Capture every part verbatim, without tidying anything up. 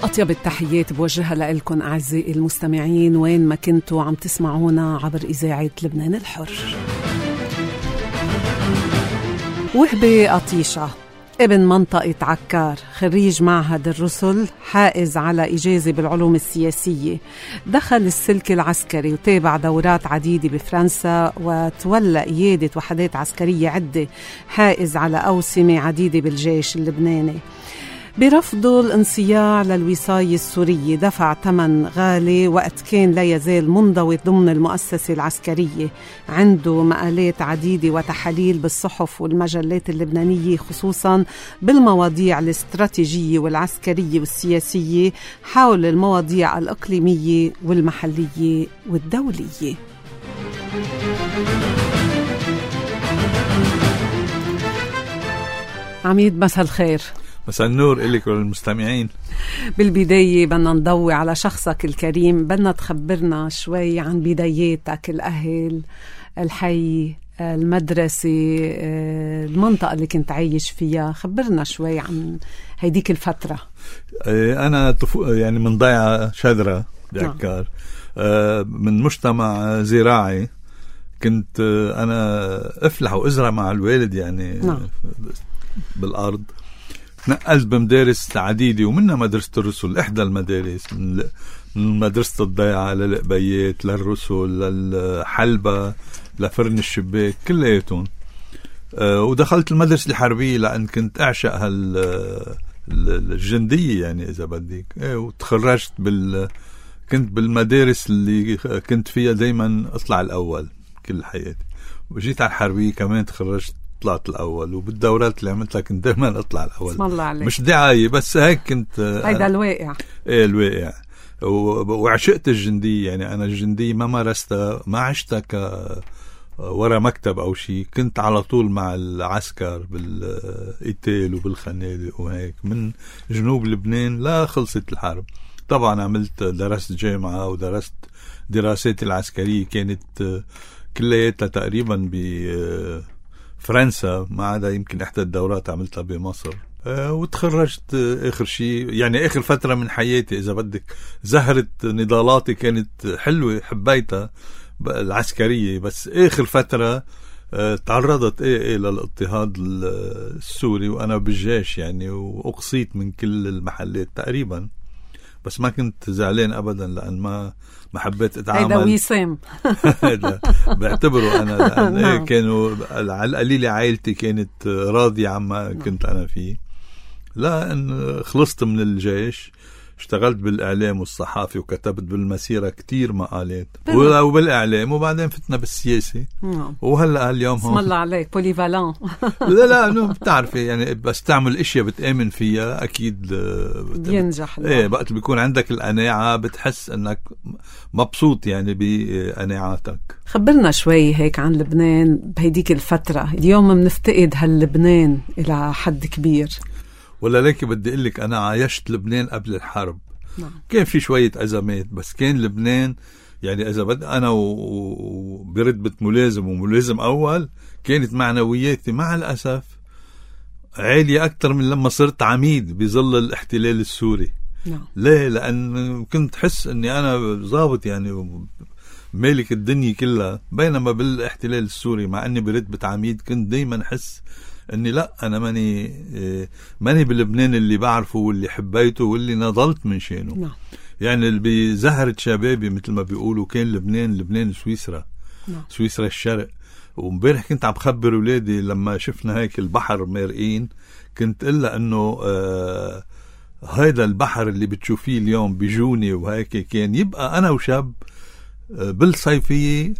أطيب التحيات بوجهها لكم أعزائي المستمعين وين ما كنتوا عم تسمعونا عبر إذاعة لبنان الحر. وهبي قطيشة ابن منطقة عكار، خريج معهد الرسل، حائز على إجازة بالعلوم السياسية، دخل السلك العسكري وتابع دورات عديدة بفرنسا وتولى قيادة وحدات عسكرية عدة، حائز على أوسمة عديدة بالجيش اللبناني. برفضه الانصياع للوصاية السورية دفع ثمن غالي وقت كان لا يزال منضوي ضمن المؤسسة العسكرية. عنده مقالات عديدة وتحاليل بالصحف والمجلات اللبنانية، خصوصا بالمواضيع الاستراتيجية والعسكرية والسياسية حول المواضيع الإقليمية والمحلية والدولية. عميد مساء الخير. مساء النور إليك وللمستمعين. بالبداية بدنا نضوي على شخصك الكريم، بدنا تخبرنا شوي عن بداياتك، الأهل، الحي، المدرسة، المنطقة اللي كنت عايش فيها. خبرنا شوي عن هيديك الفترة. أنا يعني من ضيعة شذرة بعكار، من مجتمع زراعي. كنت أنا أفلح وأزرع مع الوالد يعني نعم. بالأرض. نقلت بمدارس عديدة ومنها مدرسة الرسل، إحدى المدارس، من مدرسة الضيعة للقبيات للرسل للحلبة لفرن الشباك كلياتهم. أه ودخلت المدرسة الحربية لأن كنت أعشق هالجندية يعني إذا بدك. أه وتخرجت بال كنت بالمدارس اللي كنت فيها دايما أطلع الأول كل حياتي، وجيت على الحربية كمان تخرجت طلعت الأول، وبالدورات اللي عملتها كنت دائما أطلع الأول. اسم الله عليك. مش دعاية بس هيك كنت. هيدا الواقع. إيه الواقع. وعشقت الجندية يعني. أنا الجندية ما مارستها، ما عشتها ك ورا مكتب أو شيء. كنت على طول مع العسكر بالقتال وبالخنادق وهيك من جنوب لبنان لا خلصت الحرب. طبعا عملت درست جامعة ودرست دراساتي العسكرية كانت كلياتها تقريبا ب فرنسا، ما عدا يمكن إحدى الدورات عملتها بمصر. أه وتخرجت آخر شيء يعني آخر فترة من حياتي إذا بدك. زهرة نضالاتي كانت حلوة، حبيتها العسكرية، بس آخر فترة أه تعرضت إيه إيه للاضطهاد السوري وأنا بالجيش يعني، وأقصيت من كل المحلات تقريبا. بس ما كنت زعلان أبدا لأن ما ما حبيت أتعامل. هيدا ويسام. بعتبره أنا لأن إيه كانوا على القليلة عائلتي كانت راضية عما كنت أنا فيه. لأن خلصت من الجيش، اشتغلت بالإعلام والصحافة وكتبت بالمسيرة كتير مقالات وبالإعلام، وبعدين فتنا بالسياسة. وهلأ اليوم اسم الله عليك بوليفالان. لا لا انه بتعرفي يعني بس تعمل اشياء بتآمن فيها اكيد بينجح. ايه وقت بيكون عندك القناعة بتحس انك مبسوط يعني بقناعاتك. خبرنا شوي هيك عن لبنان بهيديك الفترة. اليوم منفتقد هاللبنان الى حد كبير. ولا ليك بدي اقول لك انا عايشت لبنان قبل الحرب. نعم. كان في شوية ازمات بس كان لبنان يعني إذا بدأ أنا وبرتبة ملازم وملازم أول كانت معنوياتي مع الأسف عالية أكتر من لما صرت عميد بظل الاحتلال السوري. نعم. ليه؟ لأن كنت حس أني أنا ضابط يعني مالك الدنيا كلها، بينما بالاحتلال السوري مع أني برتبة عميد كنت دايما حس أني لا أنا ماني ماني بلبنان اللي بعرفه واللي حبيته واللي نضلت من شانه. نعم. يعني اللي بزهرة شبابي مثل ما بيقولوا كان لبنان لبنان سويسرا. نعم. سويسرا الشرق. ومبارح كنت عم بخبر ولادي لما شفنا هيك البحر مارقين، كنت قلها انه آه هيدا البحر اللي بتشوفيه اليوم بجوني وهيك كان يبقى انا وشاب آه بالصيفية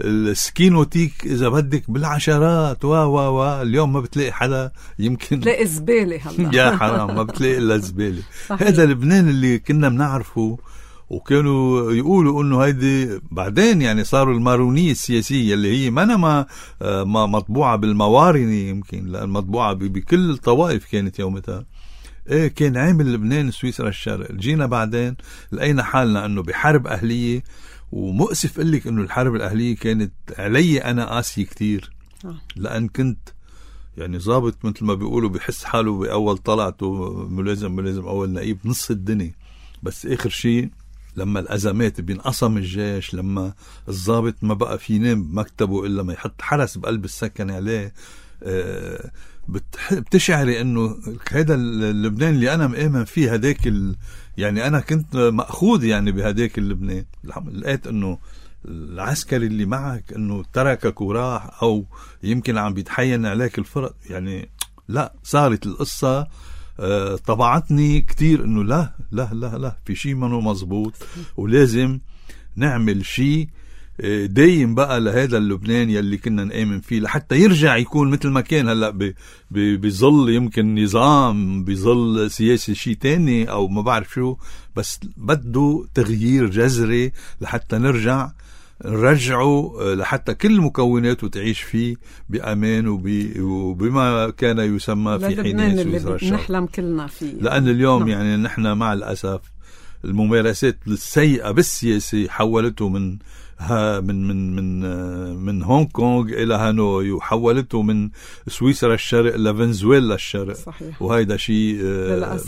السكينوتيك إذا بدك بالعشرات وا وا وا اليوم ما بتلاقي حدا، يمكن تلاقي زبالة هلا. يا حرام ما بتلاقي إلا زبالة. هذا لبنان اللي كنا بنعرفه، وكانوا يقولوا إنه هيدي بعدين يعني صاروا المارونية السياسية اللي هي ما أنا ما ما مطبوعة بالموارنة يمكن لأن مطبوعة بكل الطوائف كانت يومتها. إيه كان عامل لبنان سويسرا الشرق. جينا بعدين لقينا حالنا إنه بحرب أهلية، ومؤسف قلك انه الحرب الاهليه كانت علي انا قاسي كتير، لان كنت يعني ضابط مثل ما بيقولوا بحس حاله باول طلعته ملازم ملازم اول نقيب نص الدنيا. بس آخر شيء لما الأزمات بينقسم الجيش، لما الضابط ما بقى في ينام بمكتبه إلا ما يحط حرس بقلب السكن عليه، آه بتشعري انه هذا اللبنان اللي انا مآمن فيه هداك ال... يعني انا كنت مأخوذ يعني بهداك اللبنان. لقيت انه العسكري اللي معك انه تركك وراح، او يمكن عم بيتحين عليك الفرق، يعني لا، صارت القصة آه طبعتني كتير انه لا لا لا لا في شيء منه مزبوط، ولازم نعمل شيء دايم بقى لهذا اللبنان يلي كنا نآمن فيه، لحتى يرجع يكون مثل ما كان. هلأ بيظل يمكن نظام، بيظل سياسي شيء تاني أو ما بعرف شو، بس بده تغيير جذري لحتى نرجع نرجعه، لحتى كل مكوناته تعيش فيه بأمان وبما كان يسمى في حين سويسرا الشرق، نحلم كلنا فيه. لأن اليوم نعم. يعني نحن مع الأسف الممارسات السيئة بالسياسة حولته من ها من من من من هونغ كونغ الى هانوي، وحولته من سويسرا الشرق لفنزويلا الشرق. صحيح. وهيدا شيء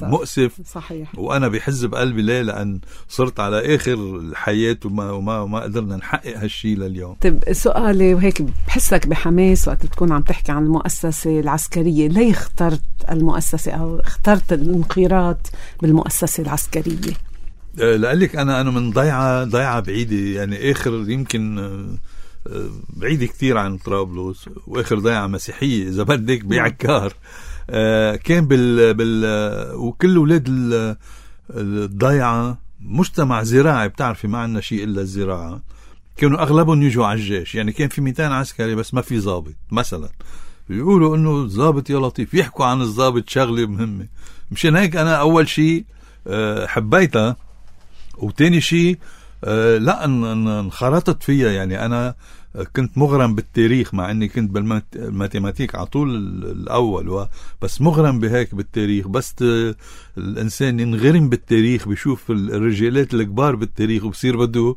مؤسف. صحيح. وانا بحز بقلبي ليه، لان صرت على اخر الحياه وما وما ما قدرنا نحقق هالشيء لليوم. طيب سؤالي، وهيك بحسك بحماس وقت تكون عم تحكي عن المؤسسه العسكريه، ليه اخترت المؤسسه او اخترت الانخراط بالمؤسسه العسكريه؟ لقلك أنا أنا من ضيعة ضيعة بعيدة، يعني آخر يمكن بعيدة كتير عن طرابلس، وآخر ضيعة مسيحية إذا بدك بعكار. كان بال بال وكل أولاد الضيعة مجتمع زراعي، بتعرفي ما عندنا شيء إلا الزراعة، كانوا أغلبهم يجوا على الجيش. يعني كان في مئتين عسكري بس ما في ضابط مثلا، بيقولوا إنه الضابط يا لطيف، يحكوا عن الضابط شغلة مهمة. مشان هيك أنا أول شيء حبيتها، وتاني شيء آه لا انخرطت فيها. يعني أنا كنت مغرم بالتاريخ، مع أني كنت بالماتيماتيك على طول الأول، بس مغرم بهيك بالتاريخ. بس الإنسان ينغرم بالتاريخ، بيشوف الرجالات الكبار بالتاريخ وبصير بده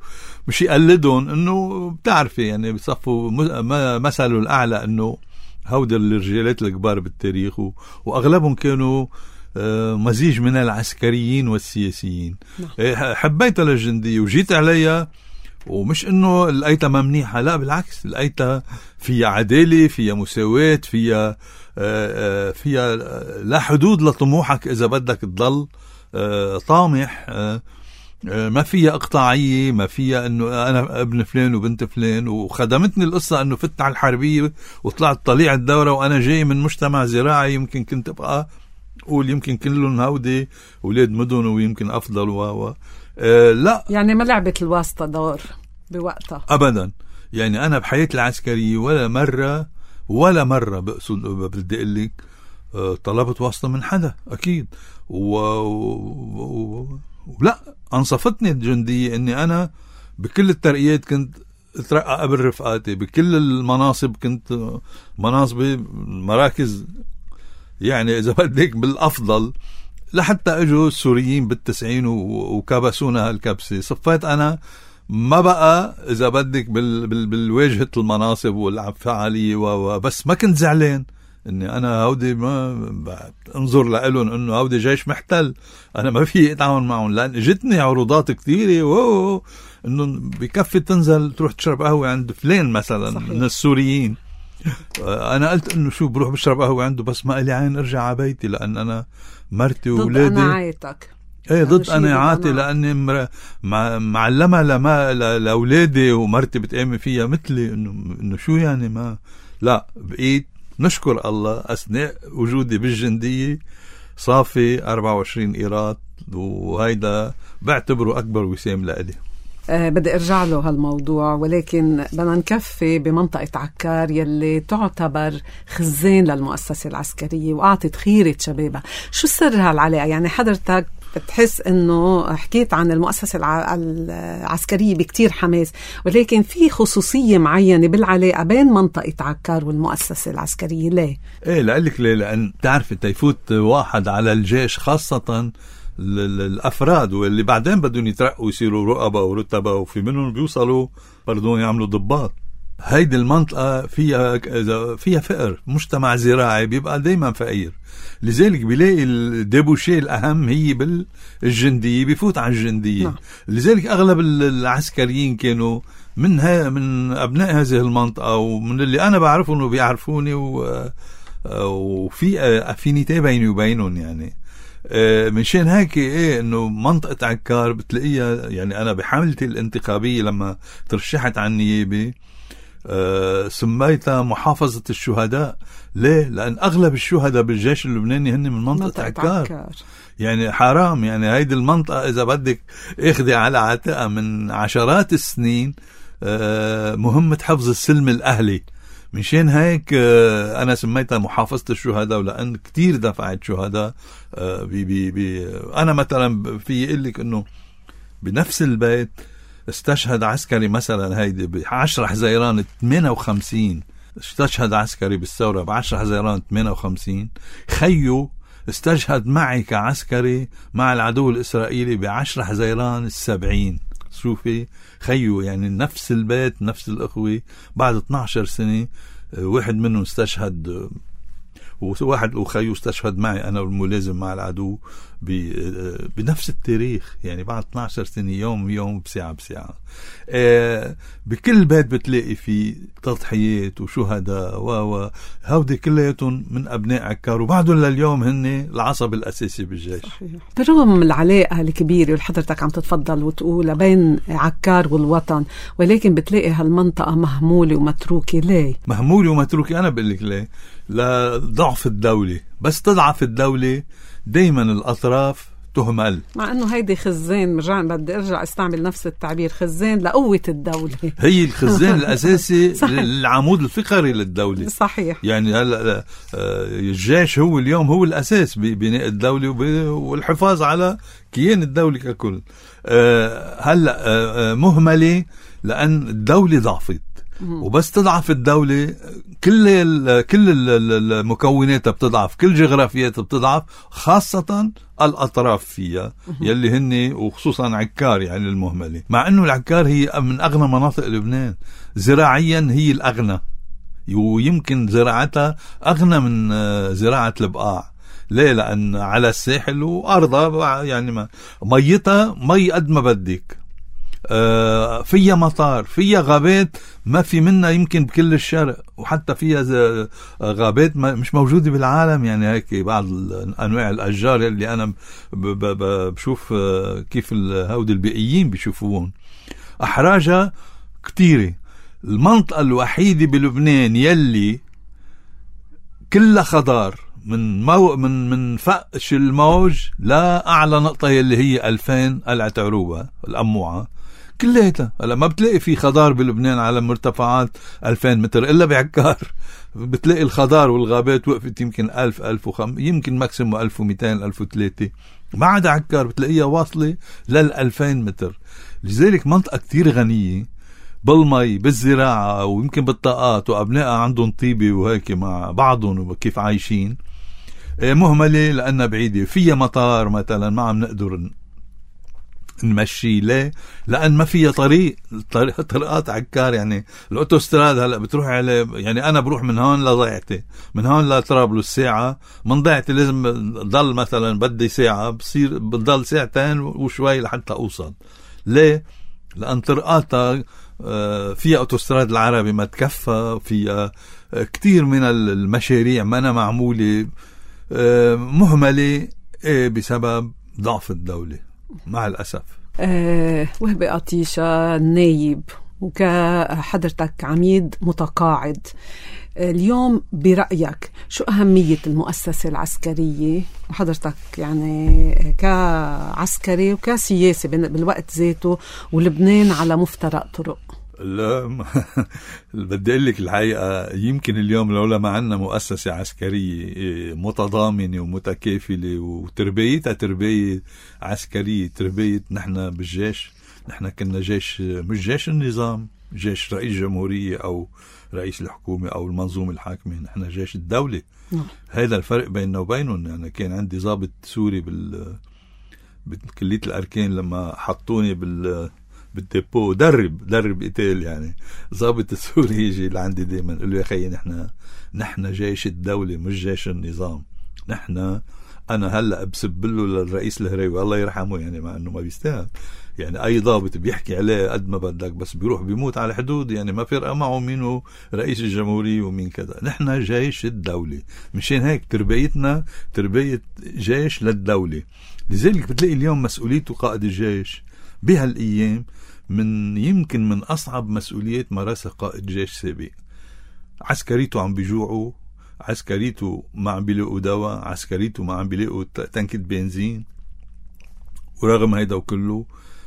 مش يقلدهم، إنه بتعرفي يعني بصفوا مثله الأعلى إنه هود الرجالات الكبار بالتاريخ، وأغلبهم كانوا مزيج من العسكريين والسياسيين. حبيتها للجندية وجيت عليها، ومش انه لقيتها منيحة، لا بالعكس، لقيتها فيها عدالة، فيها مساواة، فيها فيها لا حدود لطموحك إذا بدك تضل طامح، ما فيها اقطاعية، ما فيها انه انا ابن فلان وبنت فلان. وخدمتني القصة انه فت على الحربية وطلعت طليع الدورة، وانا جاي من مجتمع زراعي، يمكن كنت ابقى قول يمكن كلهم هودي ولاد مدن ويمكن افضل و أه لا، يعني ما لعبت الواسطة دور بوقتها ابدا. يعني انا بحياتي العسكرية ولا مرة ولا مرة بقصد بدي اقول لك أه طلبت واسطة من حدا اكيد، و... و... ولا انصفتني الجندية اني انا بكل الترقيات كنت اترقى قبل رفقاتي، بكل المناصب كنت مناصبي مراكز، يعني إذا بدك بالأفضل، لحتى أجوا السوريين بالتسعين وكبسونا هالكبسة. صفيت أنا ما بقى إذا بدك بال بال بالواجهة المناصب والفعالية، وبس ما كنت زعلان إني أنا هودي ما انظر لقلن إنه هودي جيش محتل، أنا ما في أتعاون معهم، لأن جتني عروضات كثيرة ووو إنه بكفي تنزل تروح تشرب قهوة عند فلان مثلا. صحيح. من السوريين. انا قلت انه شو بروح بشرب قهوه عنده، بس ما لي عين ارجع على بيتي، لان انا مرتي واولادي ضد قناعاتك. ايه ضد قناعاتي، لاني مر... مع... معلمه لما لاولادي ومرتي بتآمن فيها مثلي، انه انه شو يعني ما لا. بقيت نشكر الله اثناء وجودي بالجنديه صافي أربعة وعشرين قيراط، وهيدا بعتبره اكبر وسام لإلي. أه بدي ارجع له هالموضوع، ولكن بدنا نكفي بمنطقة عكار يلي تعتبر خزان للمؤسسة العسكرية وأعطت خيرة شبابها. شو سر هالعلاقة؟ يعني حضرتك بتحس انه حكيت عن المؤسسة الع... العسكرية بكتير حماس، ولكن في خصوصية معينة بالعلاقة بين منطقة عكار والمؤسسة العسكرية، ليه؟ ايه لقلك ليه، لأن تعرف تيفوت واحد على الجيش خاصة الأفراد واللي بعدين بدهم يترقوا يصيروا رؤبة ورتبة، وفي منهم بيوصلوا بردون يعملوا ضباط. هيدي المنطقة فيها فيها فقر، مجتمع زراعي بيبقى دايما فقير، لذلك بيلاقي الديبوشي الأهم هي بالجندية، بيفوت على الجندية. نعم. لذلك أغلب العسكريين كانوا من ها من أبناء هذه المنطقة، ومن اللي أنا بعرفه إنه بيعرفوني، و وفي أفينيتي بيني وبينهم يعني. منشان هيك ايه انه منطقة عكار بتلاقيها، يعني انا بحملتي الانتخابية لما ترشحت عن النيابة أه سميتها محافظة الشهداء. ليه؟ لأن أغلب الشهداء بالجيش اللبناني هن من منطقة, منطقة عكار. عكار يعني حرام، يعني هيدي المنطقة إذا بدك اخذي على عاتقها من عشرات السنين أه مهمة حفظ السلم الأهلي. مشان هيك أه أنا سميتها محافظة الشهداء، ولأن كتير دفعت شهداء. أه بي بي بي أنا مثلا في يقلك أنه بنفس البيت استشهد عسكري مثلا هيدي بعشرة حزيران ثمانية وخمسين، استشهد عسكري بالثورة بعشرة حزيران ثمانية وخمسين. خيو استشهد معي كعسكري مع العدو الإسرائيلي بعشرة حزيران السبعين. شوفي خيو، يعني نفس البيت نفس الأخوة بعد اثني عشر سنة واحد منهم استشهد، وواحد وخيو استشهد معي أنا والملازم مع العدو بنفس التاريخ، يعني بعد اثني عشر سنة يوم يوم بساعة بساعة. آه بكل بيت بتلاقي فيه تضحيات وشهداء و هودي كلياتهم من أبناء عكار، وبعدهم لليوم هن العصب الأساسي بالجيش. صحيح. بالرغم العلاقة الكبيرة اللي حضرتك عم تتفضل وتقول بين عكار والوطن، ولكن بتلاقي هالمنطقة مهمولة ومتروكة. ليه مهمولة ومتروكة؟ أنا بقول لك ليه. لضعف الدولة. بس تضعف الدولة دايما الأطراف تهمل، مع أنه هيدي خزان، مرجع بدي أرجع استعمل نفس التعبير، خزان لقوة الدولة. هي الخزان الأساسي العمود الفقري للدولة. صحيح. يعني هلا الجيش هو اليوم هو الأساس ببناء الدولة والحفاظ على كيان الدولة ككل. هلا مهملة لأن الدولة ضعفت، وبس تضعف الدولة كل ال كل المكونات بتضعف، كل جغرافيات بتضعف، خاصة الأطراف فيها يلي هن وخصوصا عكار يعني المهملة. مع أنه العكار هي من أغنى مناطق لبنان زراعيا، هي الأغنى، ويمكن زراعتها أغنى من زراعة البقاع. ليه؟ لأن على الساحل وأرضها يعني ميتها مي قد ما بدك، آه فيها مطار، فيها غابات ما في منها يمكن بكل الشرق، وحتى فيها غابات مش موجودة بالعالم. يعني هيك بعض أنواع الأشجار اللي أنا بشوف كيف هود البيئيين بيشوفوهم. أحراجها كتيرة. المنطقة الوحيدة بلبنان يلي كلها خضار من مو من من فقش الموج لا أعلى نقطة يلي هي ألفين قلعة عروبة الأموعة، كليتها. هلا ما بتلاقي في خضار بلبنان على مرتفعات ألفين متر إلا بعكار. بتلاقي الخضار والغابات وقفت يمكن ألف ألف وخم يمكن ماكسيمو ألف ومئتين ألف وثلاثة، ما عدا عكار بتلاقيها واصلة للألفين متر. لذلك منطقة كتير غنية بالمي بالزراعة ويمكن بالطاقات، وأبنائها عندهم طيبة وهيك مع بعضهم وكيف عايشين. مهملة لأنها بعيدة، فيها مطار مثلا ما عم نقدر نمشي. ليه؟ لأن ما فيها طريق طريق طرقات عكار. يعني الأوتوستراد هلأ بتروح على، يعني أنا بروح من هون لضيعتي، من هون لطرابلس ساعة، من ضيعتي لازم ضل مثلا بدي ساعة، بصير بضل ساعتين وشوي لحتى أوصل. ليه؟ لأن طرقاتها فيها أوتوستراد العربي ما تكفى، فيها كتير من المشاريع ما أنا معمولة. مهملة بسبب ضعف الدولة مع الأسف. أه وهبي قطيشة نايب وكحضرتك عميد متقاعد، اليوم برأيك شو أهمية المؤسسة العسكرية، وحضرتك يعني كعسكري وكسياسي بالوقت ذاته، ولبنان على مفترق طرق؟ لا بدي أقول لك الحقيقة، يمكن اليوم لولا ما عندنا مؤسسة عسكرية متضامنة ومتكافلة وتربيتها تربية عسكرية، تربية نحن بالجيش، نحن كنا جيش مش جيش النظام، جيش رئيس جمهورية أو رئيس الحكومة أو المنظومة الحاكمة، نحن جيش الدولة. هذا الفرق بيننا وبينهم. يعني كان عندي ضابط سوري بال بكلية الأركان لما حطوني بال بالديبو، درب درب قتال يعني. ضابط السوري يجي لعندي دايما يقول له يا خيي نحن نحن جيش الدولة مش جيش النظام. نحن أنا هلأ بسب له للرئيس الهريوي الله يرحمه يعني، مع أنه ما بيستاهل يعني، أي ضابط بيحكي عليه قد ما بدك، بس بيروح بيموت على حدود يعني، ما فرق معه مينه رئيس الجمهورية ومين كذا. نحن جيش الدولة، مشان هيك تربيتنا تربية جيش للدولة. لذلك بتلاقي اليوم مسؤوليته قائد الجيش بهالأيام من يمكن من أصعب مسؤوليات مارسها قائد جيش سابق. عسكريته عم بيجوعوا، عسكريته ما عم بيلاقوا دواء، عسكريته ما عم بيلاقوا تنكة بنزين، ورغم هيدا وكله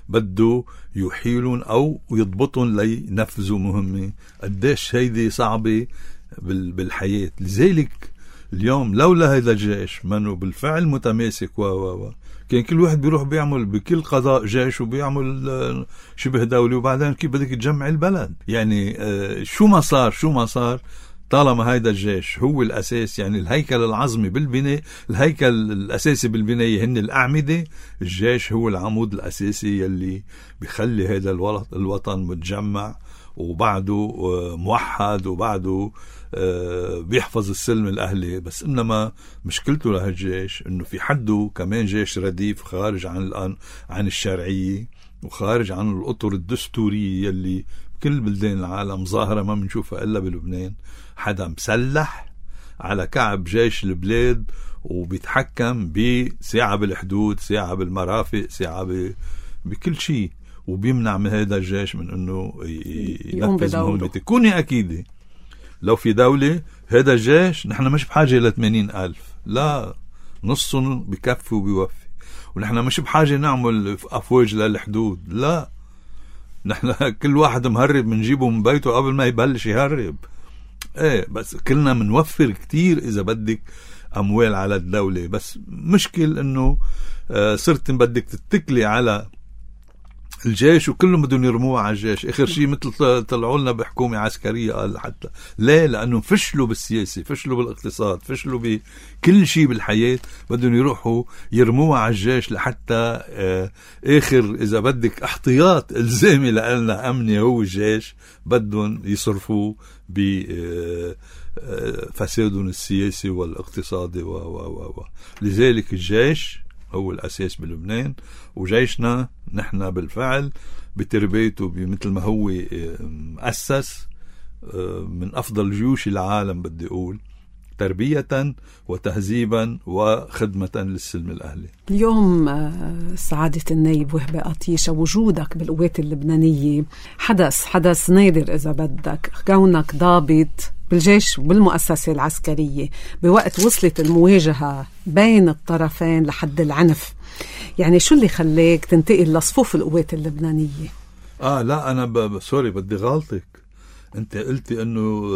بده يحيلون أو يضبطون لينفذوا مهمة. قديش هيدي صعبة بالحياة. لذلك اليوم لولا هيدا الجيش منه بالفعل متماسك و و و كان كل واحد بيروح بيعمل بكل قضاء جيش وبيعمل شبه دولي، وبعدين كيف بدك تجمع البلد يعني. شو ما صار شو ما صار طالما هيدا الجيش هو الأساس، يعني الهيكل العظمي بالبناء، الهيكل الأساسي بالبناية هن الأعمدة، الجيش هو العمود الأساسي يلي بيخلي هيدا الوطن متجمع وبعده موحد وبعده بيحفظ السلم الأهلي. بس إنما مشكلته لهالجيش إنه في حده كمان جيش رديف خارج عن الآن عن الشرعية وخارج عن الأطر الدستورية يلي كل بلدان العالم ظاهرة ما بنشوفها إلا بلبنان. حدا مسلح على كعب جيش البلاد وبيتحكم بساعة بالحدود، ساعة بالمرافق، ساعة بكل شيء، وبيمنع من هذا الجيش من انه ينفذ مهمته. كوني اكيدة لو في دولة هذا الجيش نحن مش بحاجة ل ثمانين ألف، لا نصهم بكفي وبيوفي. ونحن مش بحاجة نعمل أفواج للحدود، لا نحن كل واحد مهرب منجيبه من بيته قبل ما يبلش يهرب. ايه بس كلنا منوفر كتير اذا بدك اموال على الدولة. بس مشكل انه آه صرت بدك تتكلي على الجيش وكلهم بدهم يرموها على الجيش. اخر شيء مثل طلعوا لنا بحكومة عسكرية قال حتى ليه، لانه فشلوا بالسياسة، فشلوا بالاقتصاد، فشلوا بكل شيء بالحياة، بدهم يروحوا يرموها على الجيش لحتى آه اخر اذا بدك احتياط الزامي لنا امني هو الجيش بدهم يصرفوا بفسادهم السياسي والاقتصادي و و و لذلك الجيش هو الأساس بلبنان. وجيشنا نحن بالفعل بتربيته بمثل ما هو مؤسس من أفضل جيوش العالم، بدي أقول تربية وتهذيبا وخدمة للسلم الأهلي. اليوم سعادة النائب وهبة قطيشة، وجودك بالقوات اللبنانية حدث حدث نادر إذا بدك، كونك ضابط بالجيش وبالمؤسسة العسكرية بوقت وصلت المواجهة بين الطرفين لحد العنف. يعني شو اللي خليك تنتقل لصفوف القوات اللبنانية؟ آه لا أنا ب... سوري بدي غلطك. أنت قلتي أنه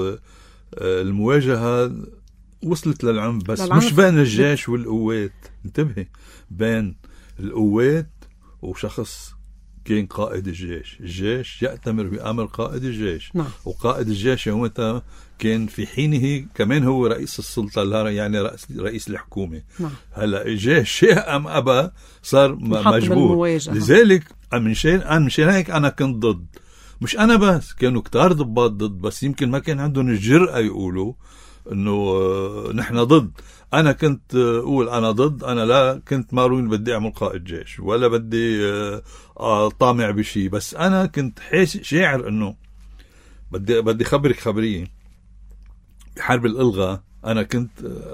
المواجهة وصلت للعنف، بس للعنف. مش بين الجيش والقوات، انتبهي، بين القوات وشخص كان قائد الجيش. الجيش يأتمر بأمر قائد الجيش. نعم. وقائد الجيش يومتها كان في حينه كمان هو رئيس السلطة، يعني رئيس, رئيس الحكومة. نعم. هلا الجيش شيء أم أبا صار مجبور. لذلك منشان أنا منشان هيك أنا كنت ضد. مش أنا بس، كانوا كتار ضباط ضد، بس يمكن ما كان عندهم الجرأة يقولوا إنه نحن ضد. أنا كنت أقول أنا ضد، أنا لا كنت مارون بدي أعمل قائد جيش ولا بدي طامع بشي، بس أنا كنت شاعر إنه بدي بدي خبرك خبرية. بحرب الإلغاء أنا كنت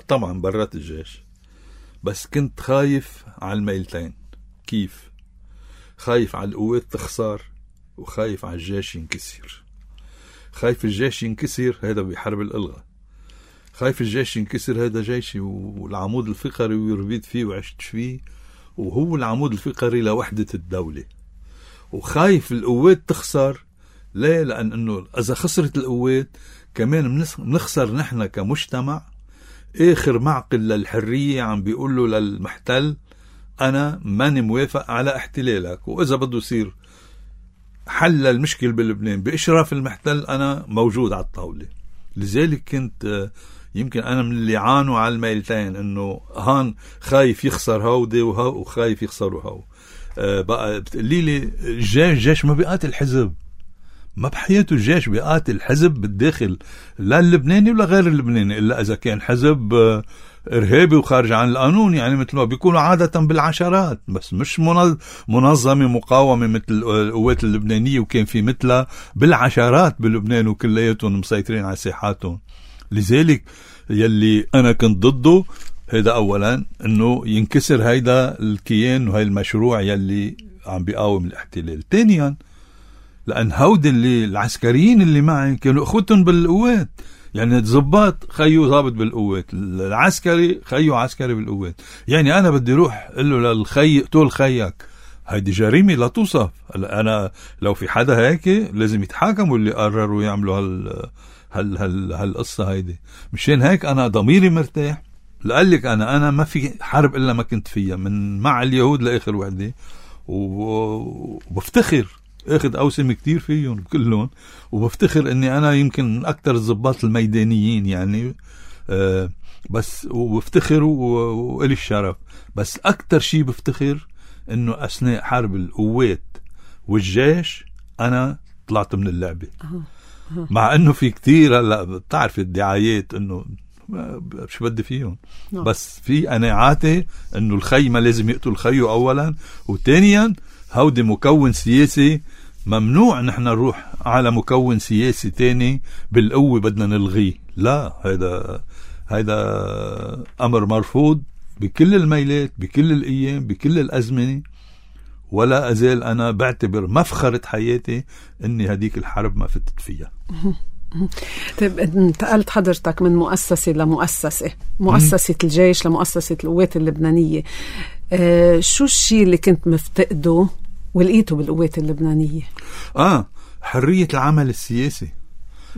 طبعا برات الجيش، بس كنت خايف على الميلتين. كيف؟ خايف على القوات تخسر، وخايف على الجيش ينكسر. خايف الجيش ينكسر، هذا بحرب الإلغاء. خايف الجيش ينكسر، هذا جيشي والعمود الفقري ويربيت فيه وعشت فيه، وهو العمود الفقري لوحدة الدولة. وخايف القوات تخسر، ليه؟ لأن أنه إذا خسرت القوات كمان بنخسر نحن كمجتمع. آخر معقل للحرية عم بيقول له للمحتل أنا ماني موافق على احتلالك، وإذا بده يصير حل المشكل بلبنان بإشراف المحتل أنا موجود على الطاولة. لذلك كنت يمكن أنا من اللي عانوا على الميلتين، إنه هان خايف يخسر هودي وهو وخايف يخسروا هو. آه بقى بتقولي لي الجيش الجيش ما بيقاتل حزب، ما بحياته الجيش بيقاتل حزب بالداخل، لا اللبناني ولا غير اللبناني، إلا إذا كان حزب آه إرهابي وخارج عن القانون، يعني مثل ما بيكونوا عادة بالعشرات، بس مش منظمة مقاومة مثل القوات اللبنانية وكان في مثلها بالعشرات بلبنان وكلياتهم مسيطرين على ساحاتهم. لذلك يلي أنا كنت ضده هيدا أولا إنه ينكسر هيدا الكيان وهي المشروع يلي عم بيقاوم الاحتلال. ثانيا لأن هود اللي العسكريين اللي معي كانوا أخوتهم بالقوات، يعني الضباط خيو ضابط بالقوات، العسكري خيو عسكري بالقوات، يعني أنا بدي روح قل له للخي اقتل خيك، هيدي جريمة لا توصف. أنا لو في حدا هيك لازم يتحاكموا اللي قرروا يعملوا هال هال هال هالقصة هيدي. مشان هيك أنا ضميري مرتاح، لقلك أنا أنا ما في حرب إلا ما كنت فيها من مع اليهود لآخر وحدة، وبفتخر اخذ اوسم كتير فيهم كلهم، وبفتخر اني انا يمكن من اكتر الضباط الميدانيين يعني آه بس، وبفتخر وإلي الشرف. بس اكتر شيء بفتخر انه اثناء حرب القوات والجيش انا طلعت من اللعبة. مع انه في كتير هلا بتعرف الدعايات انه شو بدي فيهم، بس في قناعاتي انه الخي ما لازم يقتل الخيو اولا، وثانيا هودي مكون سياسي ممنوع نحن نروح على مكون سياسي تاني بالقوة بدنا نلغيه. لا، هيدا هيدا أمر مرفوض بكل الميلات بكل الأيام بكل الأزمنة، ولا أزال أنا بعتبر مفخرة حياتي أني هديك الحرب ما فتت فيها. طيب انتقلت حضرتك من مؤسسة لمؤسسة، مؤسسة الجيش لمؤسسة القوات اللبنانية، آه شو الشيء اللي كنت مفتقده ولقيته بالقوات اللبنانية؟ آه حرية العمل السياسي،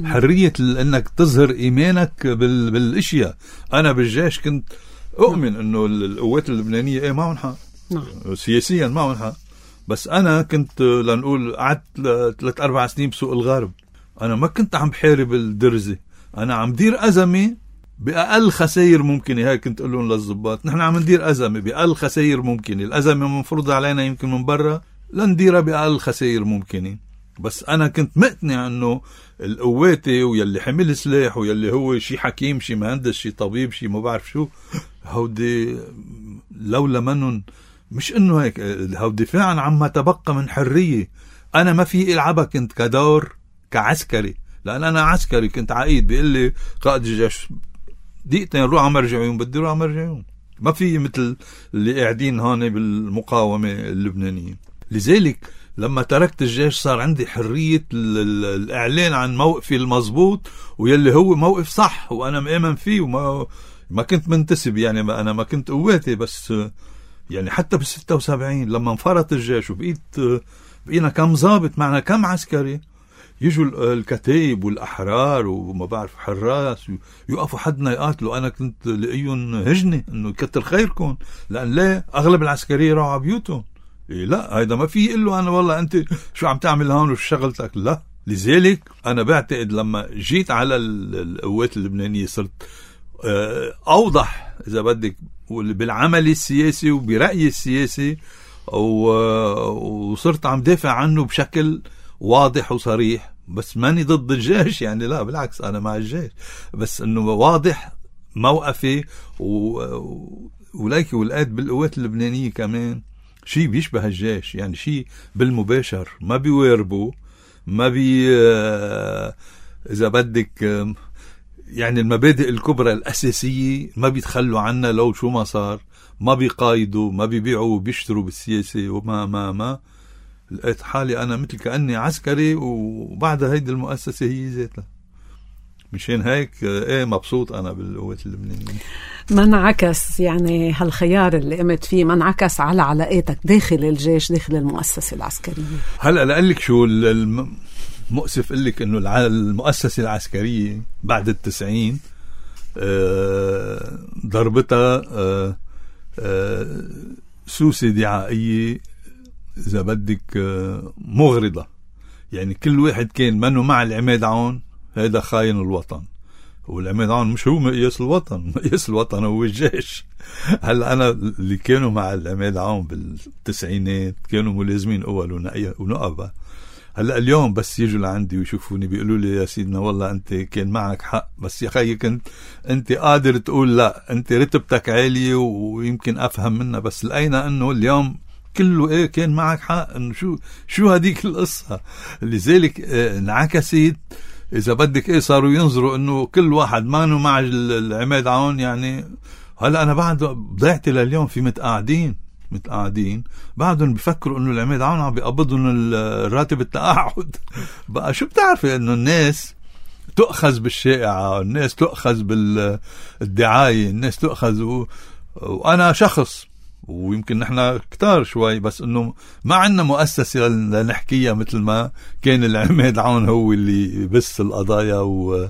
حرية انك تظهر ايمانك بال... بالاشياء. انا بالجيش كنت اؤمن انه القوات اللبنانية ايه معهم حق، سياسيا معهم حق، بس انا كنت لنقول قعدت ثلاث اربع سنين بسوق الغرب، انا ما كنت عم بحارب الدرزة، انا عم دير ازمة بأقل خسائر ممكنة. هاي كنت أقول لهم للضباط نحن عم ندير أزمة بأقل خسائر ممكنة، الأزمة منفرضة علينا يمكن من برا لنديرها بأقل خسائر ممكنة. بس أنا كنت مقتنع أنه القواتي ويلي حمل سلاح ويلي هو شي حكيم شي مهندس شي طبيب شي ما بعرف شو، هودي لولا منن مش أنه هيك، هودي دفاعا عما تبقى من حرية. أنا ما في إلعبها كنت كدور كعسكري، لأن أنا عسكري كنت عقيد بيقول لي قائد الجيش دقيقتين روح عم مرجعيون، بدي روح عم مرجعيون، ما في مثل اللي قاعدين هون بالمقاومة اللبنانية. لذلك لما تركت الجيش صار عندي حرية الإعلان عن موقفي المضبوط ويلي هو موقف صح وأنا مآمن فيه، وما ما كنت منتسب يعني ما أنا ما كنت قواتي، بس يعني حتى بالستة وسبعين لما انفرط الجيش وبقيت بقينا كم ضابط معنا كم عسكري، يجوا الكتائب والأحرار وما بعرف حراس يقفوا حدنا يقاتلوا، أنا كنت لقيهم هجنة إنه كتر خيركم، لأن لا أغلب العسكرية راحوا على بيوتهم. إيه لا، هيدا ما في يقول له أنا والله أنت شو عم تعمل هون وش شغلتك، لا. لذلك أنا بعتقد لما جيت على القوات اللبنانية صرت أوضح إذا بدك بالعمل السياسي وبرأيي السياسي، وصرت عم دافع عنه بشكل واضح وصريح. بس ماني ضد الجيش يعني، لا بالعكس أنا مع الجيش، بس إنه واضح موقفي و... وليك ولقيت بالقوات اللبنانية كمان شيء بيشبه الجيش، يعني شيء بالمباشر ما بيواربوا ما بي إذا بدك يعني المبادئ الكبرى الأساسية ما بيتخلوا عنها لو شو ما صار، ما بيقايدوا ما بيبيعوا وبيشتروا بالسياسة وما ما ما لقيت حالي أنا مثل كأني عسكري وبعد هيدي المؤسسة هي ذاتها. مشان هيك ايه مبسوط أنا بالقوات اللبنانية. ما انعكس يعني هالخيار اللي قمت فيه ما انعكس على علاقاتك داخل الجيش داخل المؤسسة العسكرية؟ هلأ لقلك شو المؤسف قلك إنه المؤسسة العسكرية بعد التسعين ضربتها سوسة دعائية إذا بدك مغرضة، يعني كل واحد كان منه مع العماد عون هذا خاين الوطن، والعماد عون مش هو مقياس الوطن، مقياس الوطن هو الجيش. هلا أنا اللي كانوا مع العماد عون بالتسعينات كانوا ملازمين أول ونقبة. هلا اليوم بس يجوا لعندي ويشوفوني بيقولوا لي يا سيدنا والله أنت كان معك حق، بس يا خيي كنت أنت قادر تقول لا، أنت رتبتك عالية ويمكن أفهم منها، بس لقينا أنه اليوم كله إيه كان معك حق. إنه شو شو هديك القصة. لذلك اه انعكست إذا بدك إيه، صاروا ينظروا إنه كل واحد مانو مع العماد عون. يعني هلا أنا بعد ضيعتي لليوم في متقاعدين متقاعدين بعدهم بيفكروا إنه العماد عون عم بيقبضون الراتب التقاعد. بقى شو بتعرفي إنه الناس تؤخذ بالشائعة، الناس تؤخذ بالدعاية، الناس تؤخذ و... وأنا شخص ويمكن نحن كتار شوي، بس إنه ما عندنا مؤسسة لنحكيها مثل ما كان العماد عون هو اللي بس القضايا و...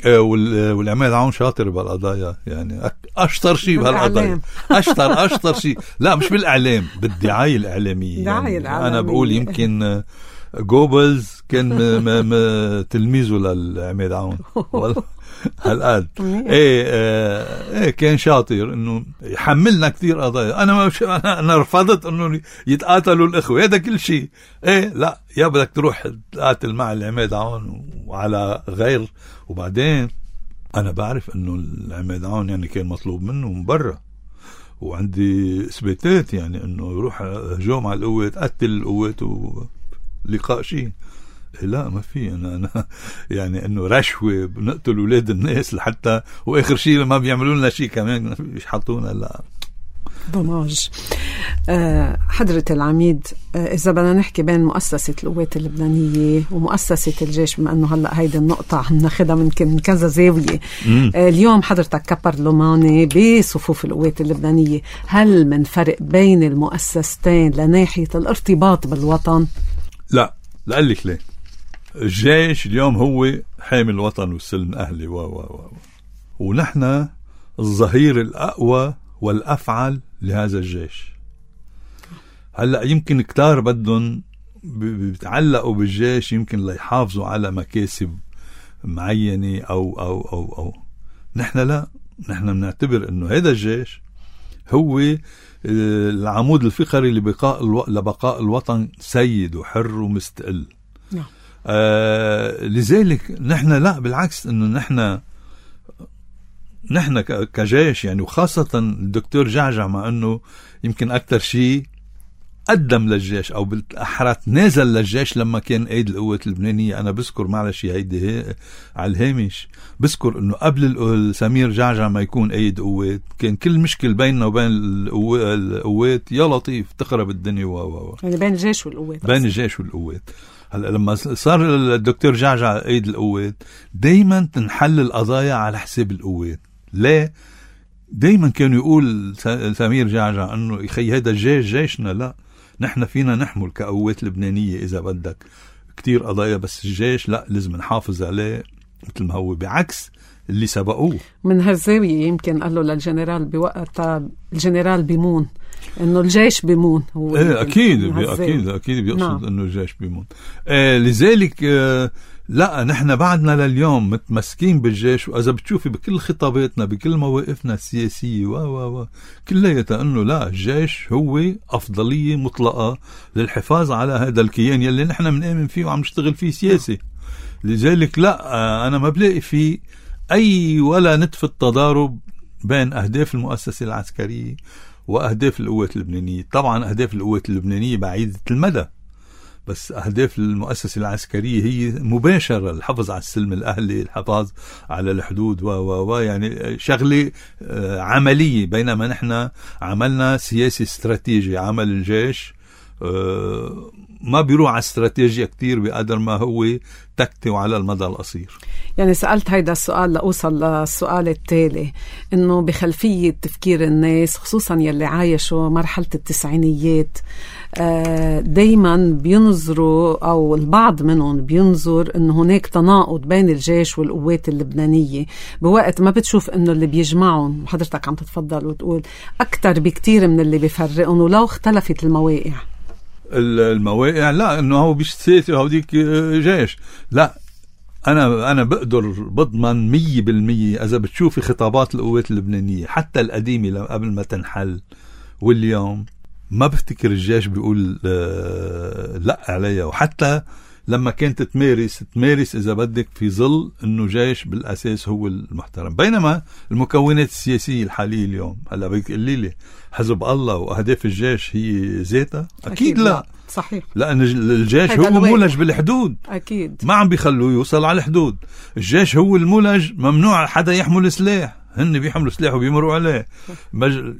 والعماد عون شاطر بالقضايا، يعني أشطر شيء بهالقضايا، أشطر أشطر شيء. لا مش بالإعلام، بالدعاية الإعلامية. يعني أنا بقول يمكن جوبلز كان م... م... تلميذه للعماد عون هالقد. ايه اه ايه كان شاطر انه يحملنا كثير قضايا. انا ما انا انا رفضت انه يتقاتلوا الاخوه، هذا كل شيء. ايه لا يا بدك تروح تقاتل مع العماد عون وعلى غير. وبعدين انا بعرف انه العماد عون يعني كان مطلوب منه من برا، وعندي اثباتات يعني انه يروح هجوم على القوات، قتل القوات ولقاء شيء. لا ما في أنا, أنا يعني إنه رشوة بنقتل أولاد الناس لحتى وآخر شيء ما بيعملوا لنا شيء كمان يحطونا. لا ضماج. أه حضرة العميد، أه إذا بدنا نحكي بين مؤسسة القوات اللبنانية ومؤسسة الجيش، بما أنه هلأ هيدا النقطة عم ناخدها من كذا زاوية، أه اليوم حضرتك كبرلماني بصفوف القوات اللبنانية، هل من فرق بين المؤسستين لناحية الارتباط بالوطن؟ لا لا لك ليه. الجيش اليوم هو حامي الوطن والسلم أهلي و و و ونحن الظهير الأقوى والأفعل لهذا الجيش. هلأ يمكن كتار بدهم بيتعلقوا بالجيش يمكن ليحافظوا على مكاسب معينة أو أو أو أو نحن لا، نحن بنعتبر إنه هذا الجيش هو العمود الفقري لبقاء الو... لبقاء الوطن سيد وحر ومستقل. نعم. آه لذلك نحن لا بالعكس، انه نحن نحن كجيش يعني، وخاصة الدكتور جعجع مع انه يمكن اكثر شيء قدم للجيش او بالاحرى نازل للجيش لما كان قايد القوات اللبنانية. انا بذكر معلش هيدي هي على الهامش، بذكر انه قبل سمير جعجع ما يكون قايد قوات كان كل مشكل بيننا وبين القوات يا لطيف تخرب الدنيا و و يعني بين الجيش والقوات، بين الجيش والقوات. هلا لما صار الدكتور جعجع قايد القوات دايما تنحل القضايا على حساب القوات. ليه؟ دايما كانوا يقول سمير جعجع انه يخي هذا الجيش جيشنا، لا نحن فينا نحمل كقوات لبنانية إذا بدك كتير قضايا، بس الجيش لا لازم نحافظ عليه مثل ما هو، بعكس اللي سبقوه. من هالزاوية يمكن قال له للجنرال بوقتها الجنرال بيمون انه الجيش بيمون هو. ايه اكيد اكيد اكيد بيقصد نعم. انه الجيش بيمون. آه لذلك آه لا نحن بعدنا لليوم متمسكين بالجيش، واذا بتشوفي بكل خطاباتنا بكل مواقفنا السياسيه و و و كلياتها انه لا الجيش هو افضليه مطلقه للحفاظ على هذا الكيان يلي نحن بنآمن فيه وعم نشتغل فيه سياسي. لذلك لا انا ما بلاقي فيه اي ولا نتفة تضارب بين اهداف المؤسسه العسكريه واهداف القوات اللبنانيه. طبعا اهداف القوات اللبنانيه بعيده المدى، بس أهداف المؤسسة العسكرية هي مباشرة، الحفظ على السلم الأهلي، الحفاظ على الحدود و و و يعني شغلة عملية، بينما نحن عملنا سياسي استراتيجي. عمل الجيش ما بيروح على استراتيجية كتير بقدر ما هو تكتي وعلى المدى القصير. يعني سألت هيدا السؤال لأوصل للسؤال التالي، إنه بخلفية تفكير الناس خصوصا يلي عايشوا مرحلة التسعينيات دايما بينظروا أو البعض منهم بينظر إنه هناك تناقض بين الجيش والقوات اللبنانية، بوقت ما بتشوف إنه اللي بيجمعهم، وحضرتك عم تتفضل وتقول أكتر بكتير من اللي بيفرقهم ولو اختلفت المواقع. المواقع لا انه هو بيش سياسي هوديك جيش، لا أنا أنا بقدر بضمن مية بالمية إذا بتشوفي خطابات القوات اللبنانية حتى القديمة قبل ما تنحل واليوم، ما بفتكر الجيش بيقول آه لا عليها. وحتى لما كانت تمارس تمارس إذا بدك في ظل إنه جيش بالأساس هو المحترم. بينما المكونات السياسية الحالية اليوم، هلا بدك تقولي لي حزب الله وأهداف الجيش هي ذاتها؟ أكيد, أكيد لا. لا صحيح، لأن الجيش هو مولج بالحدود، أكيد ما عم بيخلوه يوصل على الحدود. الجيش هو المولج، ممنوع حدا يحمل سلاح، هن بيحملوا سلاح وبيمروا عليه.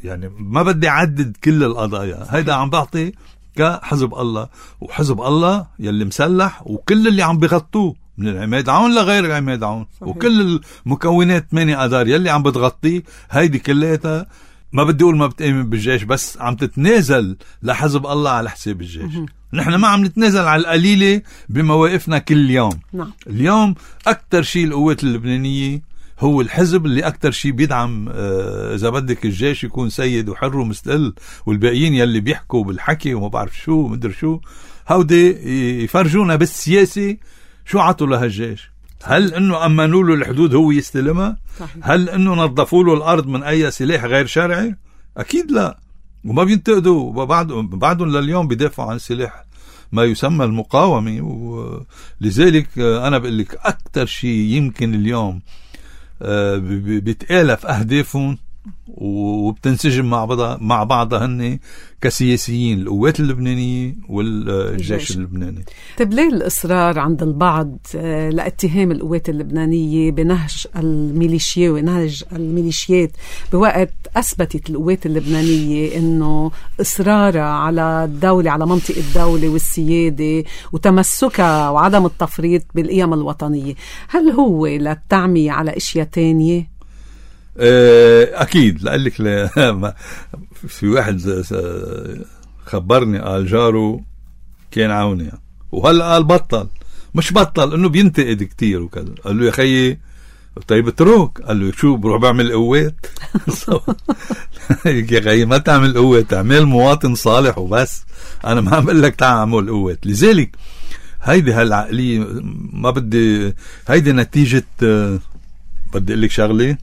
يعني ما بدي أعدد كل القضايا، هيدا عم بعطي كحزب الله. وحزب الله يلي مسلح وكل اللي عم بيغطوه من العماد عون لغير عماد عون، وكل المكونات ثمانية أدار يلي عم بتغطيه، هيدي كليتها ما بدي أقول ما بتأمن بالجيش، بس عم تتنازل لحزب الله على حساب الجيش. نحن ما عم نتنازل على القليلة بمواقفنا كل يوم. نعم. اليوم أكتر شيء القوات اللبنانية هو الحزب اللي أكتر شيء بيدعم آه إذا بدك الجيش يكون سيد وحر ومستقل، والباقيين يلي بيحكوا بالحكي وما بعرف شو مدر شو، هودي يفرجونا بالسياسة شو عطوا لها الجيش. هل انه امنوا له الحدود هو يستلمها؟ صحيح. هل انه نظفوا له الارض من اي سلاح غير شرعي؟ اكيد لا. وما بينتقدوا، وبعدهم بعدهم لليوم بيدافعوا عن سلاح ما يسمى المقاومة. ولذلك انا بقول لك اكثر شيء يمكن اليوم بيتآلف اهدافهم وبتنسجم مع بعضها مع بعضها هن كسياسيين، القوات اللبنانية والجيش اللبناني. طيب ليه الإصرار عند البعض لاتهام القوات اللبنانية بنهج الميليشيا ونهج الميليشيات، بوقت أثبتت القوات اللبنانية إنه إصرارها على الدولة، على منطقة الدولة والسيادة وتمسكها وعدم التفريط بالقيم الوطنية؟ هل هو للتعمية على أشياء تانية؟ أكيد. لقلك في واحد خبرني قال جاره كان عوني، وهلأ قال بطل، مش بطل إنه بينتقد كتير وكذا. قال له يا خيي طيب اترك. قال له شو بروح بعمل قوات؟ يا خيي ما تعمل قوات، تعمل مواطن صالح وبس. أنا ما عم بقول لك تعمل قوات. لذلك هيدي هالعقلية ما بدي، هيدي نتيجة بدي أقول لك شغلة،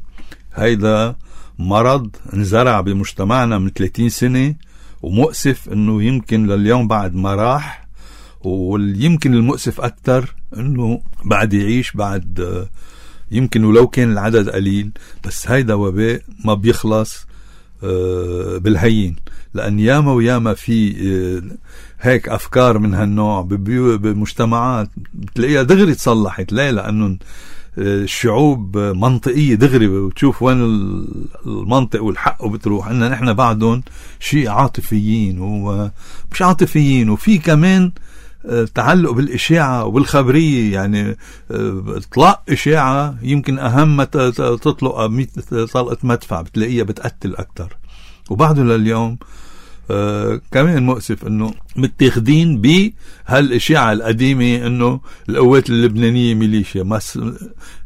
هيدا مرض انزرع بمجتمعنا من ثلاثين سنة، ومؤسف انه يمكن لليوم بعد ما راح، ويمكن المؤسف اكتر انه بعد يعيش بعد، يمكن ولو كان العدد قليل، بس هيدا وباء ما بيخلص بالهين. لان ياما وياما في هيك افكار من هالنوع بمجتمعات بتلاقيها دغري تصلحت. ليه؟ لانه الشعوب منطقية دغري، وتشوف وين المنطق والحق وبتروح. إننا نحن بعدهم شيء عاطفيين ومش عاطفيين، وفي كمان تعلق بالإشاعة وبالخبرية. يعني اطلاق إشاعة يمكن أهم ما تطلق مئة طلقة مدفع بتلاقيها بتقتل أكتر. وبعده لليوم آه كمان مؤسف انه متاخدين بهالاشاعه القديمه انه القوات اللبنانيه ميليشيا. مس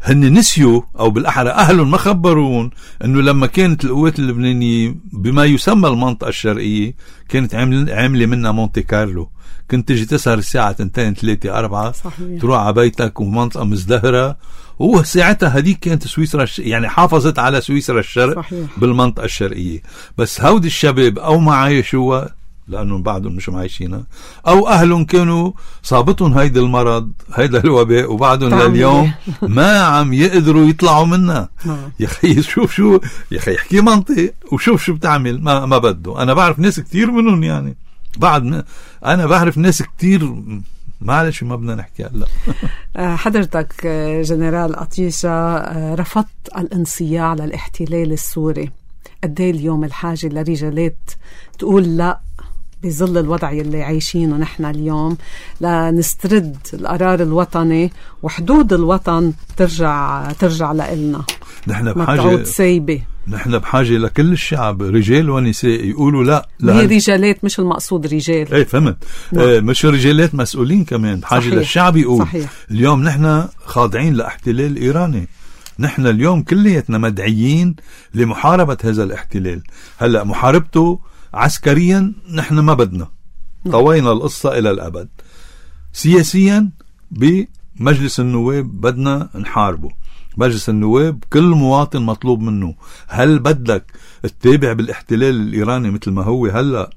هن نسيوا، او بالاحرى اهلهم ما خبرون انه لما كانت القوات اللبنانيه بما يسمى المنطقه الشرقيه كانت عامله منها مونتي كارلو. كنت تجي تسهر الساعه اثنين ثلاثة أربعة، تروح على بيتك ومنطقه مزدهره. وهو ساعتها هديك كانت سويسرا يعني حافظت على سويسرا الشرق. صحيح. بالمنطقة الشرقية. بس هودي الشباب أو ما عايشوها لأنهم بعدهم مش معايشينها، أو أهلهم كانوا صابتهم هيدا المرض هيدا الوباء وبعدهم لليوم ما عم يقدروا يطلعوا منها. يا خي شوف شو يا خي يحكي منطق وشوف شو بتعمل. ما, ما بده. أنا بعرف ناس كتير منهم، يعني بعد أنا بعرف ناس كتير، معلش ما بدنا نحكي هلا. حضرتك جنرال أطيشة رفضت الانصياع للاحتلال السوري. قد ايه اليوم الحاجة لرجالات تقول لا بظل الوضع اللي عايشينه نحن اليوم، لنسترد القرار الوطني وحدود الوطن ترجع ترجع لإلنا، نحن بحاجة سايبة. نحن بحاجة لكل الشعب رجال ونساء يقولوا لا. هي رجالات مش المقصود رجال. ايه فهمت. آه مش رجالات مسؤولين كمان بحاجة. صحيح. للشعب يقول. صحيح. اليوم نحن خاضعين لاحتلال إيراني. نحن اليوم كليتنا مدعيين لمحاربة هذا الاحتلال. هلأ محاربته عسكريا نحن ما بدنا، طوينا القصة إلى الأبد. سياسيا مجلس النواب بدنا نحاربه. مجلس النواب كل مواطن مطلوب منه، هل بدك تتابع بالاحتلال الإيراني مثل ما هو هلأ؟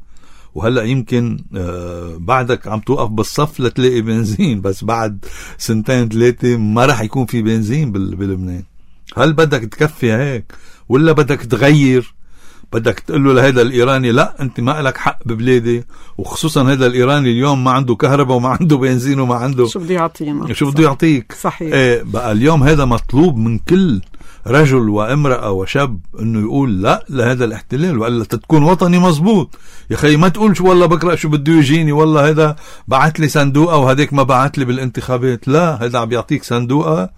وهلأ يمكن آه بعدك عم توقف بالصف لتلاقي بنزين، بس بعد سنتين ثلاثة ما رح يكون في بنزين بلبنان. هل بدك تكفي هيك ولا بدك تغير؟ بدك تقول له لهذا الإيراني لا أنت ما لك حق ببلادي، وخصوصا هذا الإيراني اليوم ما عنده كهرباء وما عنده بنزين وما عنده شو بده يعطينا، شو بده يعطيك. صحيح. ايه بقى اليوم هذا مطلوب من كل رجل وامرأة وشاب انه يقول لا لهذا الاحتلال، وإلا تكون وطني مزبوط. يا خي ما تقول شو والله بقرأ شو بده يجيني، والله هذا بعت لي صندوقة وهديك ما بعت لي بالانتخابات. لا، هذا عم بيعطيك صندوقة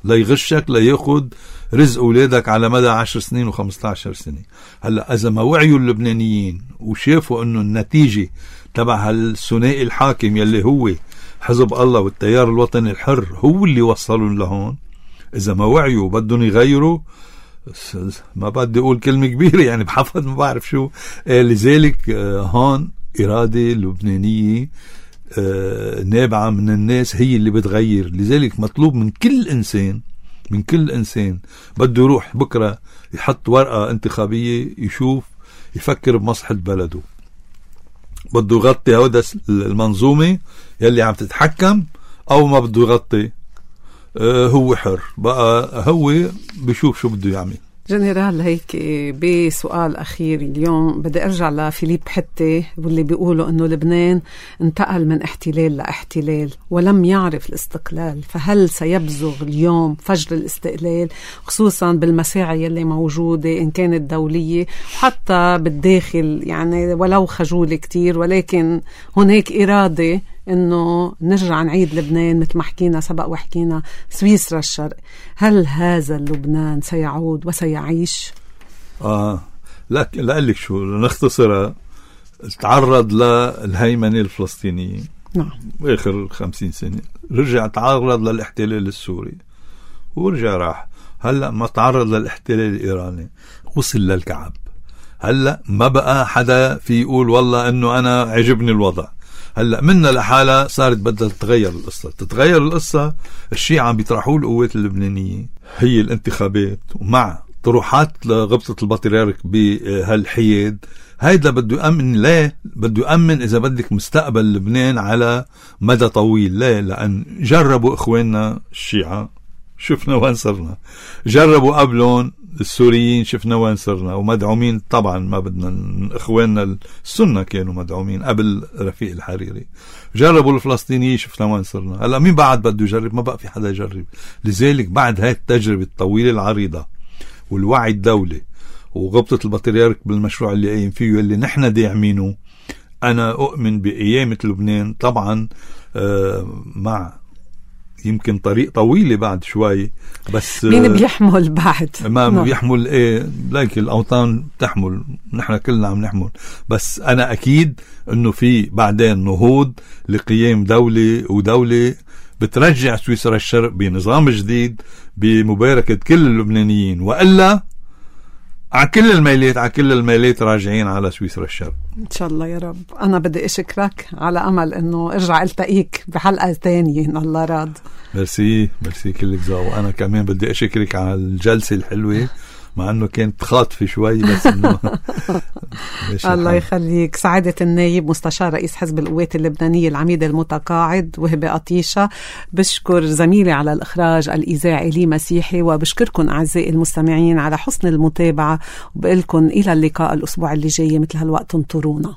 ليغشك لياخد رزق أولادك على مدى عشر سنين وخمسة عشر سنة. هلأ إذا ما وعيوا اللبنانيين وشافوا أنه النتيجة تبع هالثنائي الحاكم يلي هو حزب الله والتيار الوطني الحر هو اللي وصلوا لهون، إذا ما وعيوا بدهم يغيروا، ما بدي أقول كلمة كبيرة يعني بحفظ ما بعرف شو. آه لذلك آه هون إرادة لبنانية آه نابعة من الناس هي اللي بتغير. لذلك مطلوب من كل إنسان من كل إنسان بده يروح بكرة يحط ورقة انتخابية يشوف يفكر بمصلحة بلده، بده يغطي هودا المنظومة يلي عم تتحكم أو ما بده يغطي. آه هو حر بقى، هو بيشوف شو بده يعمل. جنرال هيك بسؤال أخير اليوم بدي أرجع لفيليب حتى واللي بيقولوا أنه لبنان انتقل من احتلال لاحتلال ولم يعرف الاستقلال، فهل سيبزغ اليوم فجر الاستقلال خصوصا بالمساعي اللي موجودة إن كانت دولية وحتى بالداخل، يعني ولو خجولة كتير ولكن هناك إرادة إنه نرجع نعيد لبنان مثل ما حكينا سبق وحكينا سويسرا الشرق. هل هذا لبنان سيعود وسيعيش؟ آه لا لا لك شو نختصرها، تعرض للهيمنة الفلسطينية نعم آخر خمسين سنة، رجع تعرض للاحتلال السوري ورجع راح، هلأ ما تعرض للاحتلال الإيراني وصل للكعب. هلأ ما بقى حدا في يقول والله إنه أنا عجبني الوضع. هلأ منا لحالة صارت بدها تتغير القصة. تتغير القصة، الشيء عم بيطرحوه القوات اللبنانية هي الانتخابات ومع طروحات لغبطة البطريرك بهالحياد. هيدا بده يأمن، ليه بده يأمن إذا بدك مستقبل لبنان على مدى طويل. ليه؟ لأن جربوا إخواننا الشيعة شفنا وين صرنا، جربوا قبلهم السوريين شفنا وين صرنا، ومدعومين طبعا ما بدنا، إخواننا السنة كانوا مدعومين قبل رفيق الحريري، جربوا الفلسطينيين شفنا وين صرنا. هلا مين بعد بده يجرب؟ ما بقى في حدا يجرب. لذلك بعد هاي التجربة الطويلة العريضة والوعي الدولي وغبطة البطريرك بالمشروع اللي قايم فيه اللي نحن داعمينه، أنا أؤمن بقيامة لبنان طبعا آه مع يمكن طريق طويلة بعد شوي، بس مين بيحمل بعد ما نعم. بيحمل ايه لكن الأوطان تحمل، نحن كلنا عم نحمل، بس أنا أكيد أنه في بعدين نهوض لقيام دولة ودولة بترجع سويسرا الشرق بنظام جديد بمباركة كل اللبنانيين، وإلا على كل الميلات على كل الميلات راجعين على سويسرا الشرق إن شاء الله يا رب. أنا بدي أشكرك على أمل أنه أرجع ألتقيك بحلقة ثانية إن الله راد. ميرسي ميرسي كلك زاو. أنا كمان بدي أشكرك على الجلسة الحلوة مع أنه كانت خاطفة شوي بس إنه الله يخليك. سعادة النايب مستشار رئيس حزب القوات اللبنانية العميد المتقاعد وهبة قطيشة. بشكر زميلي على الإخراج الإذاعي لي مسيحي، وبشكركم أعزائي المستمعين على حسن المتابعة، وبقلكم إلى اللقاء الأسبوع اللي جاي مثل هالوقت انطرونا.